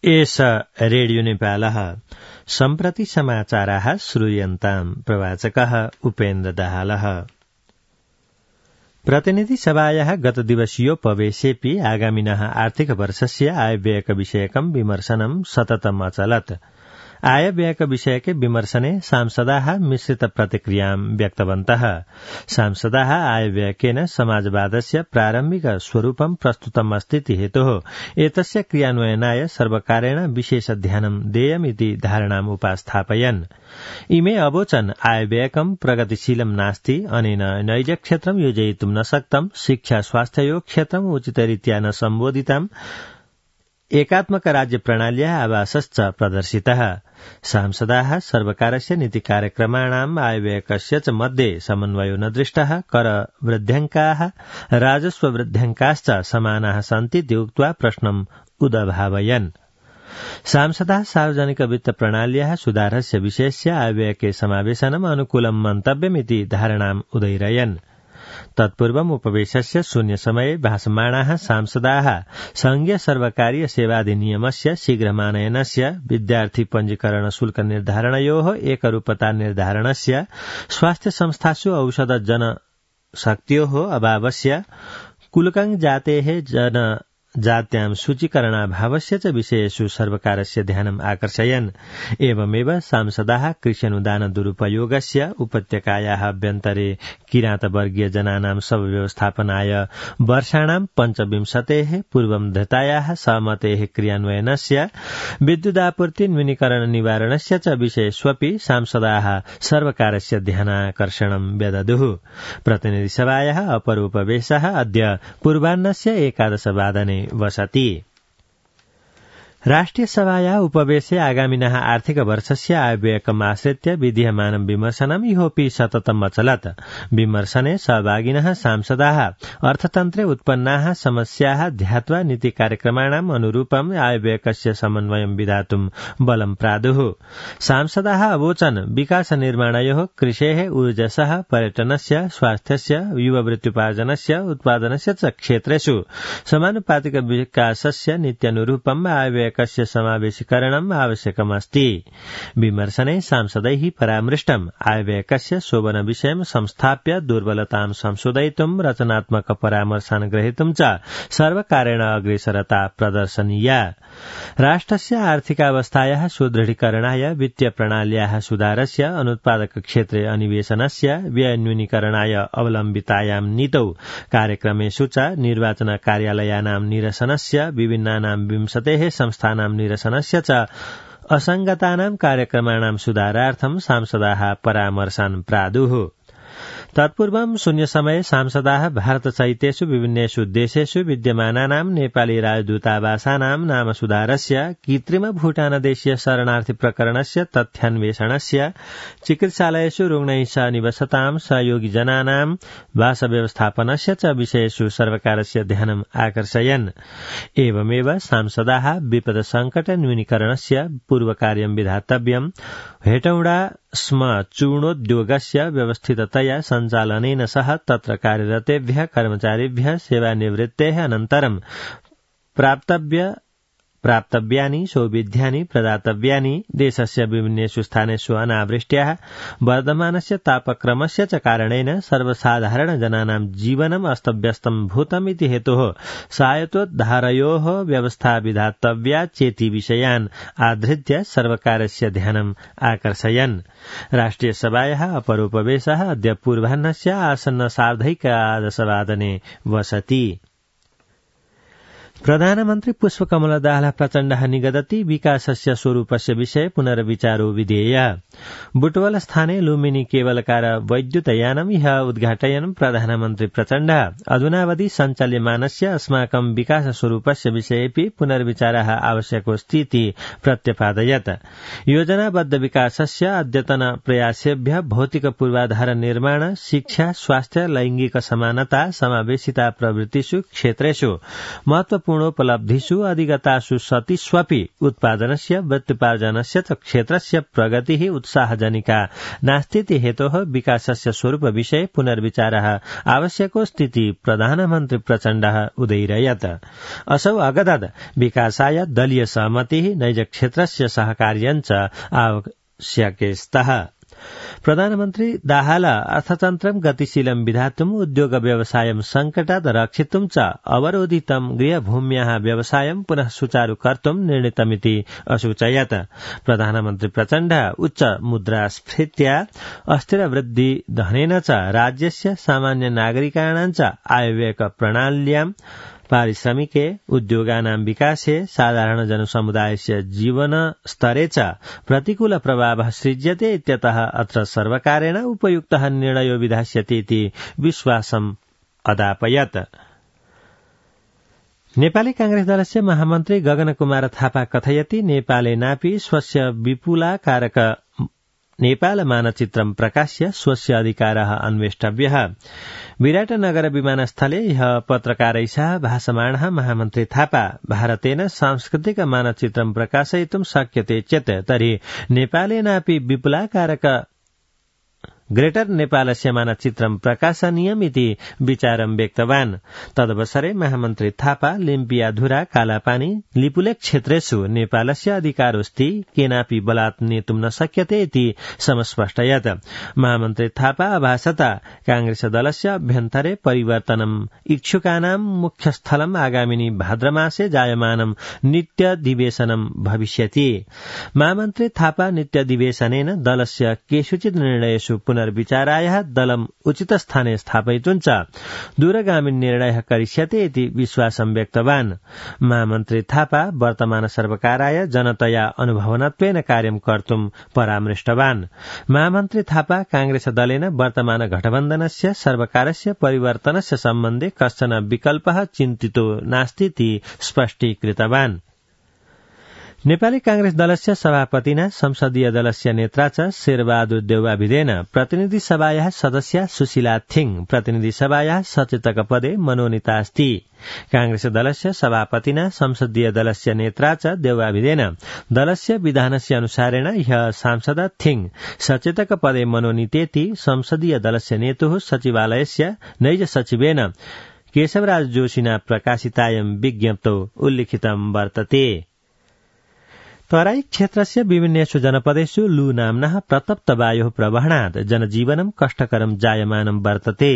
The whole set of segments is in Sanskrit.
एष रेडियो नेपालः सम्प्रति समाचाराः श्रूयन्ताम् प्रवाचकः उपेन्द्र दाहालः। प्रतिनिधि सभायाः गतदिवसीयोपवेशेऽपि आगामिनः आर्थिक वर्षस्य आयव्ययविषयकं विमर्शनं सततम् अचलत्। आयव्ययविषयके विमर्शने सांसदाः मिश्रित प्रतिक्रियां व्यक्तवन्तः। सांसदाः आयव्ययकेन समाजवादस्य प्रारम्भिक स्वरूपं प्रस्तुतम् अस्तीति हेतोः एतस्य क्रियान्वयनाय सर्वकारेण विशेष ध्यानं देयमिति धारणाम् उपास्थापयन्। इमे अवोचन् आयव्ययकं प्रगतिशीलं नास्ति, अनेन नैज क्षेत्रं योजयितुं न शक्तं, शिक्षा स्वास्थ्ययो क्षेत्रम् उचितरीत्या न सम्बोधितम्, एकात्मक राज्य प्रणाल्याः आभासश्च प्रदर्शितः। सांसदाः सर्वकारस्य नीतिकार्यक्रमाणाम् आयव्ययकस्य च मध्ये समन्वयो न दृष्टः, कर वृद्ध्यङ्काः राजस्व वृद्ध्यङ्काश्च समानाः सन्तीति उक्त्वा प्रश्नम् उदभावयन्। सांसदाः सार्वजनिक वित्त प्रणाल्याः सुधारस्य विषयस्य आयव्ययके समावेशनम् अनुकूलं मन्तव्यमिति धारणाम् उदैरयन्। तत्पूर्वम् उपवेशस्य शून्यसमये भाषमाणाः सांसदाः संघीय सर्वकारीय सेवाधिनियमस्य शीघ्रमानयनस्य, विद्यार्थी पञ्जीकरण शुल्क निर्धारणयोः एकरूपता निर्धारणस्य, स्वास्थ्य संस्थासु औषध जनशक्त्योः अभावस्य, कुलकं जातेः जनजात्यां सूचीकरणाभावस्य च विषयेषु सर्वकारस्य ध्यानम् आकर्षयन्। एवमेव सांसदाः कृष्यनुदान दुरुपयोगस्य, उपत्यकायाः अभ्यन्तरे किरातवर्गीय जनानां व्यवस्थापनाय वर्षाणां 25 पूर्वं धृतायाः सहमतेः क्रियान्वयनस्य, विद्युदापूर्ति न्यूनीकरण निवारणस्य च विषयेष्वपि सांसदाः सर्वकारस्य ध्यानाकर्षणं व्यदधुः। प्रतिनिधिसभायाः अपरोपवेशः अद्य पूर्वाह्नस्य 11 वादने वसति। राष्ट्रिय सभायाः उपवेशे आगामिनः आर्थिक वर्षस्य आयव्ययकम् आश्रित्य विधीयमानं विमर्शनम् इहोपि सततम् अचलत्। विमर्शने सहभागिनः सांसदाः अर्थतन्त्रे उत्पन्नाः समस्याः ध्यात्वा नीतिकार्यक्रमाणाम् अनुरूपम् आयव्ययकस्य समन्वयं विधातुम् बलं प्रादुः। सांसदाः अवोचन् विकास निर्माणयोः, कृषेः, ऊर्जसः, पर्यटनस्य, स्वास्थ्यस्य, युववृत्त्युपार्जनस्य, उत्पादनस्य च क्षेत्रेषु समानुपातिक विकासस्य नीत्यनुरूपम् आयव्यय कस्य समावेशीकरणम् आवश्यकमस्ति। विमर्शने सांसदैः परामृष्टम् आयव्ययकस्य शोभन विषयं संस्थाप्य दुर्बलतां संशोधयितुं रचनात्मक परामर्शान् ग्रहीतुं च सर्वकारेण अग्रेसरता प्रदर्शनीया। राष्ट्रस्य आर्थिकावस्थायाः सुदृढीकरणाय, वित्तीय प्रणाल्याः सुधारस्य, अनुत्पादक क्षेत्रे अन्वेषणस्य, व्यय न्यूनीकरणाय अवलम्बितायां नीतौ कार्यक्रमेषु च निर्वाचन कार्यालयानां निरसनस्य, विभिन्नानां 20 संस्थानां निरसनस्य च असंगतानां कार्यक्रमाणां सुधारार्थं सांसदाः परामर्शान् प्रादुः। तत्पूर्वं शून्यसमये सांसदाः भारतसहितेषु विभिन्नेषु देशेषु विद्यमानानां नेपाली राजदूतावासानां नाम सुधारस्य, कृत्रिम भूटानदेशीय शरणार्थी प्रकरणस्य तथ्यान्वेषणस्य, चिकित्सालयेषु रुग्णैः सह निवसतां सहयोगी जनानां वासव्यवस्थापनस्य च विषयेषु सर्वकारस्य ध्यानम् आकर्षयन्। एवमेव सांसदाः विपद संकट न्यूनीकरणस्य पूर्वकार्यं विधातव्यम्, हेटौडा स्म चूर्णोद्योगस्य व्यवस्थिततया सञ्चालनेन सह तत्र कार्यरतेभ्यः कर्मचारिभ्यः सेवानिवृत्तेः अनन्तरं प्राप्तव्यानि सौविध्यानि प्रदातव्यानि, देशस्य विभिन्नेषु स्थानेषु अनावृष्ट्याः, वर्धमानस्य तापक्रमस्य च कारणेन सर्वसाधारण जनानां जीवनम् अस्तव्यस्तं भूतम् इति हेतोः सहायतोद्धारयोः व्यवस्था विधातव्या चेति विषयान् आधृत्य सर्वकारस्य ध्यानम् आकर्षयन्। राष्ट्रिय सभायाः अपरोपवेशः अद्य पूर्वाह्नस्य आसन्न 11:30 वादने वसति। प्रधानमन्त्री पुष्पकमल दाहाल प्रचण्डः निगदति विकासस्य स्वरूपस्य विषये पुनर्विचारो विधेय। बुटवल स्थाने लुम्बिनी केबलकार वैद्युतयानम् इह उद्घाटयन् प्रधानमन्त्री प्रचण्डः अधुनावधि सञ्चाल्यमानस्य अस्माकं विकास स्वरूपस्य विषयेऽपि पुनर्विचारः आवश्यकोऽस्ति इति प्रत्यपादयत्। योजनाबद्ध विकासस्य अद्यतन प्रयासेभ्यः भौतिक पूर्वाधार निर्माण, शिक्षा, स्वास्थ्य, लैंगिक समानता, समावेशिता प्रभृतिषु क्षेत्रेषु महत्वपूर्ण गुणोपलब्धिषु अधिगतासु सतिष्वपि उत्पादनस्य वृत्त्युपार्जनस्य च क्षेत्रस्य प्रगतिः उत्साहजनिका नास्तीति हेतोः विकासस्य स्वरूप विषये पुनर्विचारः आवश्यकोऽस्तीति प्रधानमन्त्री प्रचण्डः उदयिरयत्। असौ अगदत् विकासाय दलीय सहमतिः नैज क्षेत्रस्य सहकार्यञ्च आवश्यके स्तः। प्रधानमन्त्री दाहाल अर्थतन्त्रं गतिशीलं विधातुम् उद्योग व्यवसायं संकटात् रक्षितुं च अवरोधितं गृहभूम्याः व्यवसायं पुनः सुचारु कर्तुं निर्णीतमिति असूचयत्। प्रधानमन्त्री प्रचण्ड उच्च मुद्रास्फीत्या अस्थिरवृद्धि धनेन च राज्यस्य सामान्य नागरिकाणां च आयव्यय प्रणाल्यां पारिश्रमिके उद्योगानां विकासे साधारण जनसमुदायस्य जीवन स्तरे च प्रतिकूल प्रभावः सृज्यते इत्यतः अत्र सर्वकारेण उपयुक्तः निर्णयो विधास्यते इति विश्वासम् अदापयत्। नेपाली कांग्रेस दलस्य महामन्त्री गगनकुमार थापा कथयति नेपालेनापि स्वस्य विपुलाकारक नेपाल मानचित्रं प्रकाश्य स्वस्य अधिकारः अन्वेष्टव्यः। विराटनगर विमानस्थले ह्यः पत्रकारैः सह भाषमाणः महामन्त्री थापा भारतेन सांस्कृतिक मानचित्रं प्रकाशयितुं शक्यते चेत् तर्हि नेपालेनापि विपुलाकारक ग्रेटर नेपालस्य मानचित्रं प्रकाशनीयमिति विचारं व्यक्तवान्। तदवसरे महामन्त्री थापा लिम्पियाधुरा कालापानी लिपुलेख क्षेत्रेषु नेपालस्य अधिकारोऽस्ति केनापि बलात् नेतुं न शक्यते इति समस्पष्टयत्। महामन्त्री थापा अभासता कांग्रेस दलस्य अभ्यन्तरे परिवर्तनम् इच्छुकानां मुख्यस्थलम् आगामिनी भाद्रमासे जायमानं नित्यधिवेशनं भविष्यति। महामन्त्री थापा नित्यधिवेशनेन दलस्य केषुचित् निर्णयेषु पुनर्विचाराय दलम् उचितस्थाने स्थापयितुं च दूरगामी निर्णयः करिष्यते इति विश्वासं व्यक्तवान्। महामन्त्री थापा वर्तमान सर्वकाराय जनतया अनुभवनत्वेन कार्यं कर्तुं परामृष्टवान्। महामन्त्री थापा कांग्रेस दलेन वर्तमान गठबन्धनस्य सर्वकारस्य परिवर्तनस्य सम्बन्धे कश्चन विकल्पः चिन्तितो नास्तीति स्पष्टीकृतवान्। नेपाली कांग्रेस दलस्य सभापतिना संसदीय दलस्य नेत्रा च शेरबहादुर देउवाभिदेन प्रतिनिधि सभायाः सदस्या सुशीला थिङ प्रतिनिधि सभायाः सचेतक पदे मनोनीता अस्ति। कांग्रेस दलस्य सभापतिना संसदीय दलस्य नेत्रा च देउवाभिदेन दलस्य विधानस्य अनुसारेण ह्यः सांसदा थिङ सचेतक पदे मनोनीतेति संसदीय दलस्य नेतुः सचिवालयस्य नैज सचिवेन केशवराज जोशिना प्रकाशितायं विज्ञप्तौ उल्लिखितं वर्तते। तराई क्षेत्रस्य विभिन्नेषु जनपदेषु लू नाम्नः प्रतप्त वायोः प्रवहणात् जनजीवनं कष्टकरं जायमानं वर्तते।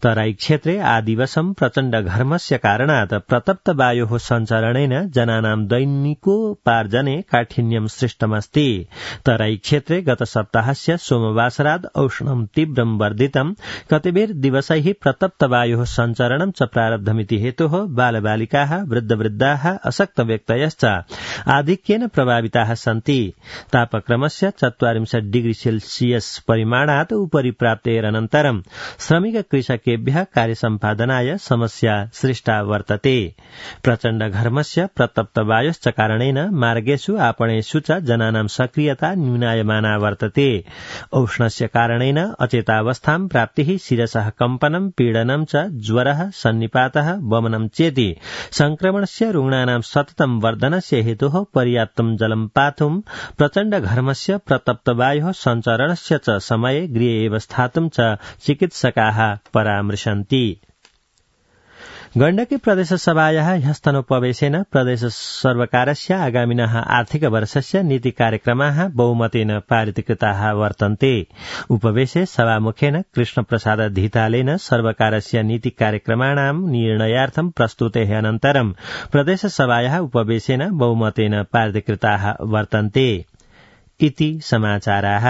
तराई क्षेत्रे आदिवसं प्रचण्ड घर्मस्य कारणात् प्रतप्त वायोः सञ्चरणेन जनानां दैनिकोपार्जने काठिन्यं सृष्टमस्ति। तराई क्षेत्रे गत सप्ताहस्य सोमवासरात् औष्णं तीव्रं वर्धितं कतिपय दिवसैः प्रतप्त वायोः सञ्चरणं च प्रारब्धमिति हेतोः बालबालिकाः वृद्धवृद्धाः अशक्तव्यक्तयश्च आधिक्येन प्रभाविताः सन्ति। तापक्रमस्य 40 डिग्री सेल्सियस परिमाणात् उपरि प्राप्तेरनन्तरं श्रमिक कृषकेभ्यः कार्यसम्पादनाय समस्या सृष्टा वर्तते। प्रचण्ड घर्मस्य प्रतप्त वायोश्च कारणेन मार्गेषु आपणेषु च जनानां सक्रियता न्यूनायमाना वर्तते। औष्णस्य कारणेन अचेतावस्थां प्राप्तिः शिरसः कम्पनं पीडनं च ज्वरः सन्निपातः वमनं चेति संक्रमणस्य रुग्णानां सततं वर्धनस्य हेतोः पर्याप्तं जलं पातुं प्रचण्ड घर्मस्य प्रतप्त वायोः सञ्चरणस्य च समये गृहे एव स्थातुं च चिकित्सकाः परामृशन्ति। गण्डकी प्रदेशसभायाः ह्यस्तनोपवेशेन प्रदेश सर्वकारस्य आगामिनः आर्थिक वर्षस्य नीति कार्यक्रमाः बहुमतेन पारितकृताः वर्तन्ते। उपवेशे सभामुखेन कृष्णप्रसाद धितालेन सर्वकारस्य नीति कार्यक्रमाणां निर्णयार्थं प्रस्तुतेः अनन्तरं प्रदेशसभायाः उपवेशेन बहुमतेन पारितकृताः वर्तन्ते इति समाचाराः।